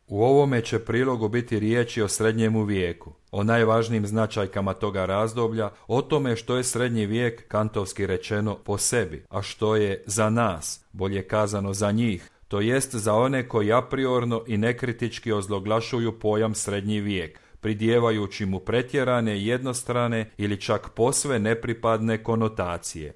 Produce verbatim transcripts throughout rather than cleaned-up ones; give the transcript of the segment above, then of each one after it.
U ovome će prilogu biti riječi o srednjemu vijeku, o najvažnijim značajkama toga razdoblja, o tome što je srednji vijek, kantovski rečeno, po sebi, a što je za nas, bolje kazano za njih, to jest za one koji apriorno i nekritički ozloglašuju pojam srednji vijek, pridjevajući mu pretjerane, jednostrane ili čak posve nepripadne konotacije.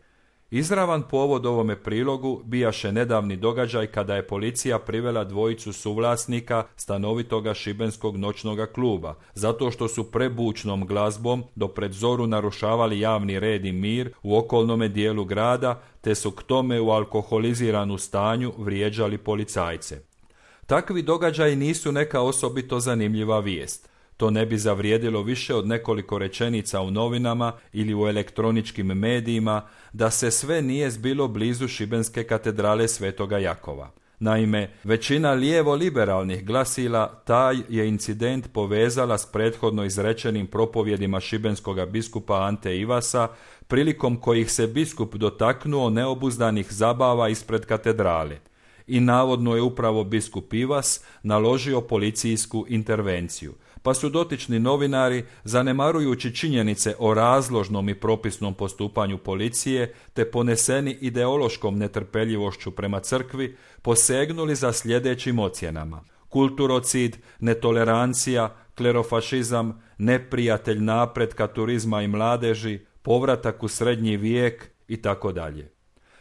Izravan povod ovome prilogu bijaše nedavni događaj kada je policija privela dvojicu suvlasnika stanovitoga šibenskog noćnoga kluba, zato što su prebučnom glazbom do pred zoru narušavali javni red i mir u okolnome dijelu grada, te su k tome u alkoholiziranu stanju vrijeđali policajce. Takvi događaji nisu neka osobito zanimljiva vijest. To ne bi zavrijedilo više od nekoliko rečenica u novinama ili u elektroničkim medijima da se sve nije zbilo blizu šibenske katedrale Svetoga Jakova. Naime, većina lijevo-liberalnih glasila taj je incident povezala s prethodno izrečenim propovjedima šibenskoga biskupa Ante Ivasa, prilikom kojih se biskup dotaknuo neobuzdanih zabava ispred katedrale. I navodno je upravo biskup Ivas naložio policijsku intervenciju, pa su dotični novinari, zanemarujući činjenice o razložnom i propisnom postupanju policije, te poneseni ideološkom netrpeljivošću prema crkvi, posegnuli za sljedećim ocjenama: kulturocid, netolerancija, klerofašizam, neprijatelj napretka turizma i mladeži, povratak u srednji vijek i tako dalje.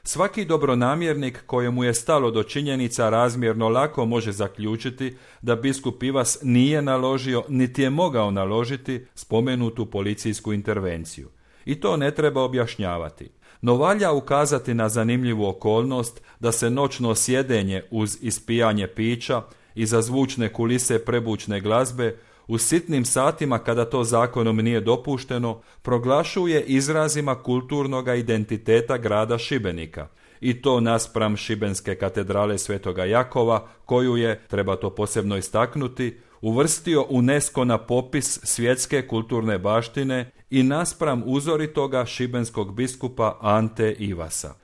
Svaki dobronamjernik kojemu je stalo do činjenica razmjerno lako može zaključiti da biskup Ivas nije naložio niti je mogao naložiti spomenutu policijsku intervenciju. I to ne treba objašnjavati. No valja ukazati na zanimljivu okolnost da se noćno sjedenje uz ispijanje pića i za zvučne kulise prebučne glazbe u sitnim satima kada to zakonom nije dopušteno, proglašuje izrazima kulturnoga identiteta grada Šibenika. I to naspram šibenske katedrale Svetoga Jakova, koju je, treba to posebno istaknuti, uvrstio UNESCO na popis svjetske kulturne baštine i naspram uzoritoga šibenskog biskupa Ante Ivasa.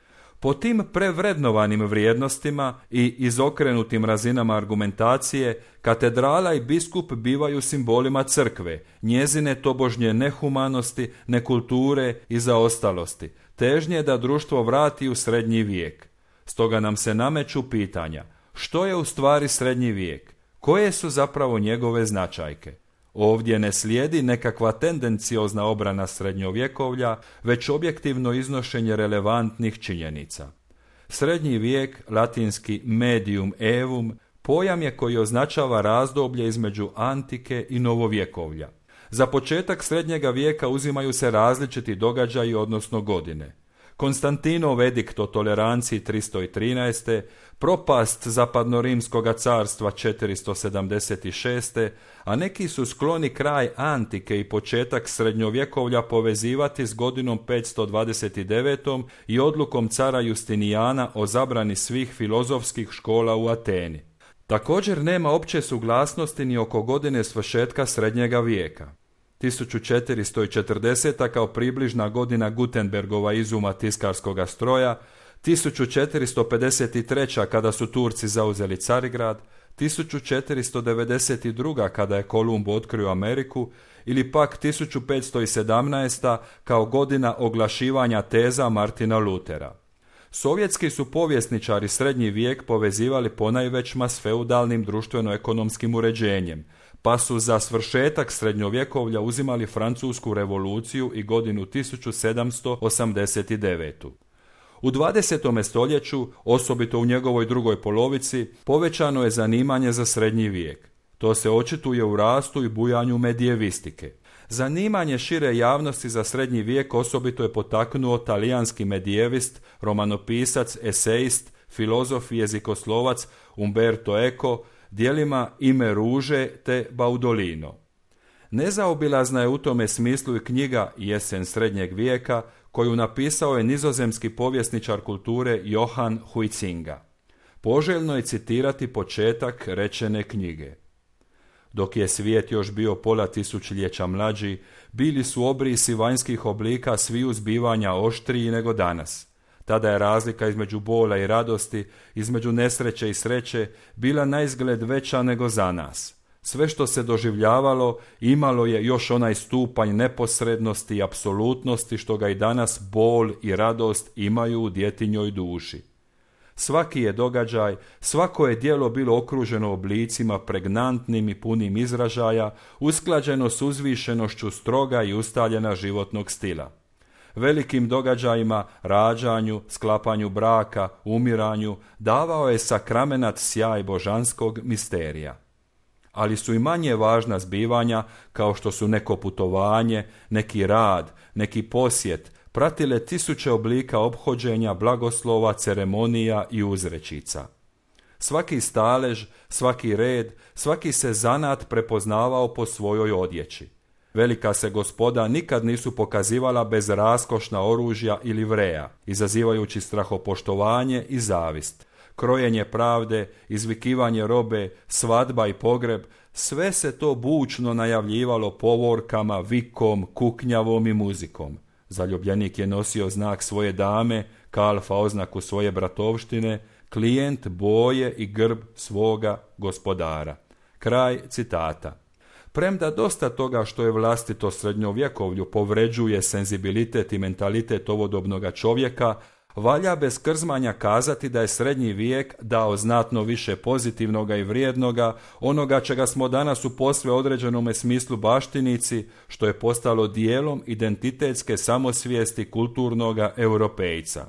Po tim prevrednovanim vrijednostima i izokrenutim razinama argumentacije, katedrala i biskup bivaju simbolima crkve, njezine tobožnje nehumanosti, nekulture i zaostalosti, težnje da društvo vrati u srednji vijek. Stoga nam se nameću pitanja: što je u stvari srednji vijek? Koje su zapravo njegove značajke? Ovdje ne slijedi nekakva tendenciozna obrana srednjovjekovlja, već objektivno iznošenje relevantnih činjenica. Srednji vijek, latinski medium evum, pojam je koji označava razdoblje između antike i novovjekovlja. Za početak srednjega vijeka uzimaju se različiti događaji, odnosno godine. Konstantinov edikt o toleranciji tristo trinaeste, propast zapadnorimskoga carstva četiristo sedamdeset šest, a neki su skloni kraj antike i početak srednjovjekovlja povezivati s godinom petsto dvadeset devet i odlukom cara Justinijana o zabrani svih filozofskih škola u Ateni. Također nema opće suglasnosti ni oko godine svršetka srednjega vijeka. tisuću četiristo četrdeseta kao približna godina Gutenbergova izuma tiskarskoga stroja, tisuću četiristo pedeset treća kada su Turci zauzeli Carigrad, tisuću četiristo devedeset druga kada je Kolumb otkrio Ameriku ili pak tisuću petsto sedamnaesta kao godina oglašivanja teza Martina Lutera. Sovjetski su povjesničari srednji vijek povezivali ponajvećma s feudalnim društveno-ekonomskim uređenjem, pa su za svršetak srednjovjekovlja uzimali Francusku revoluciju i godinu tisuću sedamsto osamdeset devetu. U dvadesetom stoljeću, osobito u njegovoj drugoj polovici, povećano je zanimanje za srednji vijek. To se očituje u rastu i bujanju medijevistike. Zanimanje šire javnosti za srednji vijek osobito je potaknuo talijanski medijevist, romanopisac, esejist, filozof i jezikoslovac Umberto Eco, djelima Ime ruže te Baudolino. Nezaobilazna je u tome smislu i knjiga Jesen srednjeg vijeka, koju napisao je nizozemski povjesničar kulture Johan Huizinga. Poželjno je citirati početak rečene knjige. Dok je svijet još bio pola tisućljeća mlađi, bili su obrisi vanjskih oblika sviju zbivanja oštriji nego danas. Tada je razlika između bola i radosti, između nesreće i sreće, bila naizgled veća nego za nas. Sve što se doživljavalo imalo je još onaj stupanj neposrednosti i apsolutnosti što ga i danas bol i radost imaju u djetinjoj duši. Svaki je događaj, svako je djelo bilo okruženo oblicima pregnantnim i punim izražaja, usklađeno s uzvišenošću stroga i ustaljena životnog stila. Velikim događajima, rađanju, sklapanju braka, umiranju, davao je sakramenat sjaj božanskog misterija. Ali su i manje važna zbivanja, kao što su neko putovanje, neki rad, neki posjet, pratile tisuće oblika ophođenja, blagoslova, ceremonija i uzrečica. Svaki stalež, svaki red, svaki se zanat prepoznavao po svojoj odjeći. Velika se gospoda nikad nisu pokazivala bez raskošna oružja ili vreja, izazivajući strahopoštovanje i zavist. Krojenje pravde, izvikivanje robe, svadba i pogreb, sve se to bučno najavljivalo povorkama, vikom, kuknjavom i muzikom. Zaljubljenik je nosio znak svoje dame, kalfa oznaku svoje bratovštine, klijent boje i grb svoga gospodara. Kraj citata. Premda dosta toga što je vlastito srednjovjekovlju povređuje senzibilitet i mentalitet ovodobnoga čovjeka, valja bez krzmanja kazati da je srednji vijek dao znatno više pozitivnoga i vrijednoga, onoga čega smo danas u posve određenome smislu baštinici, što je postalo dijelom identitetske samosvijesti kulturnoga europejca.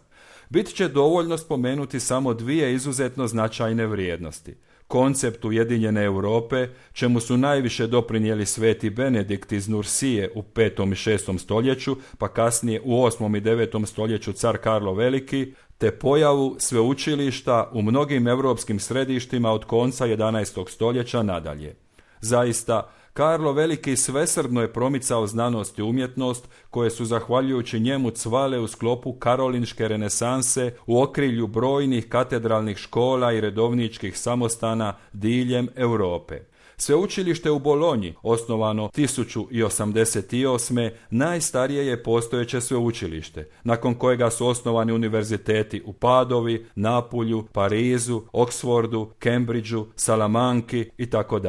Bit će dovoljno spomenuti samo dvije izuzetno značajne vrijednosti. Koncept ujedinjene Europe, čemu su najviše doprinijeli sveti Benedikt iz Nursije u petom i šestom stoljeću, pa kasnije u osmom i devetom stoljeću car Karlo Veliki, te pojavu sveučilišta u mnogim europskim središtima od konca jedanaestog stoljeća nadalje. Zaista, Karlo Veliki svesrdno je promicao znanost i umjetnost, koje su zahvaljujući njemu cvale u sklopu karolinške renesanse u okrilju brojnih katedralnih škola i redovničkih samostana diljem Europe. Sveučilište u Bolonji, osnovano tisuću osamdeset osme. najstarije je postojeće sveučilište, nakon kojega su osnovani univerziteti u Padovi, Napulju, Parizu, Oksfordu, Cambridgeu, Salamanki itd.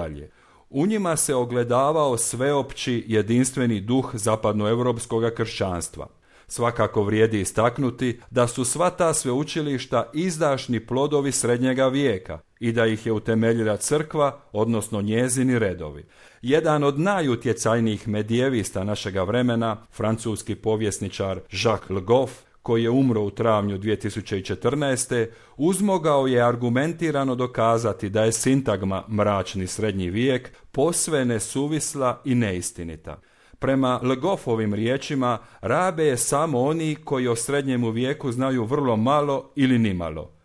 U njima se ogledavao sveopći jedinstveni duh zapadnoevropskog kršćanstva. Svakako vrijedi istaknuti da su sva ta sveučilišta izdašni plodovi srednjega vijeka i da ih je utemeljila crkva, odnosno njezini redovi. Jedan od najutjecajnijih medijevista našega vremena, francuski povjesničar Jacques Le Goff, koji je umro u travnju dvije tisuće četrnaeste. uzmogao je argumentirano dokazati da je sintagma mračni srednji vijek posve nesuvisla i neistinita. Prema Le Goffovim riječima, rabe je samo oni koji o srednjemu vijeku znaju vrlo malo ili nimalo.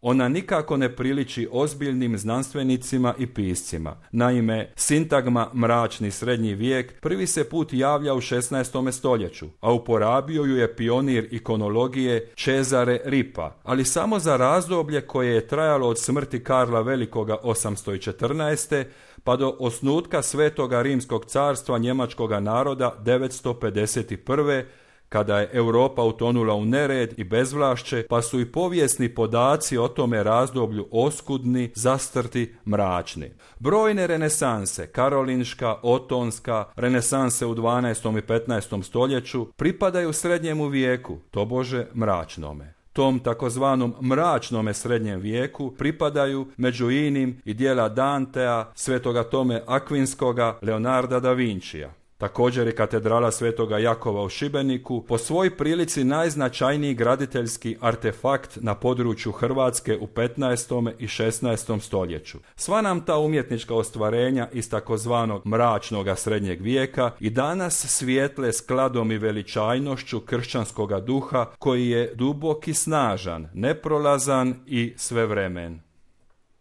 Ona nikako ne priliči ozbiljnim znanstvenicima i piscima. Naime, sintagma mračni srednji vijek prvi se put javlja u šesnaestom stoljeću, a uporabio ju je pionir ikonologije Cesare Ripa, ali samo za razdoblje koje je trajalo od smrti Karla Velikoga osamsto četrnaeste. pa do osnutka Svetoga Rimskog carstva njemačkoga naroda devetsto pedeset prve. kada je Europa utonula u nered i bezvlašće, pa su i povijesni podaci o tome razdoblju oskudni, zastrti, mračni. Brojne renesanse, karolinška, otonska, renesanse u dvanaestom i petnaestom stoljeću, pripadaju srednjemu vijeku, tobože mračnome. Tom takozvanom mračnome srednjem vijeku pripadaju među inim i djela Dantea, Svetoga Tome Akvinskoga, Leonarda da Vincija. Također je katedrala Svetoga Jakova u Šibeniku po svoj prilici najznačajniji graditeljski artefakt na području Hrvatske u petnaestom i šesnaestom stoljeću. Sva nam ta umjetnička ostvarenja iz takozvanog mračnoga srednjeg vijeka i danas svijetle skladom i veličajnošću kršćanskoga duha koji je dubok i snažan, neprolazan i svevremen.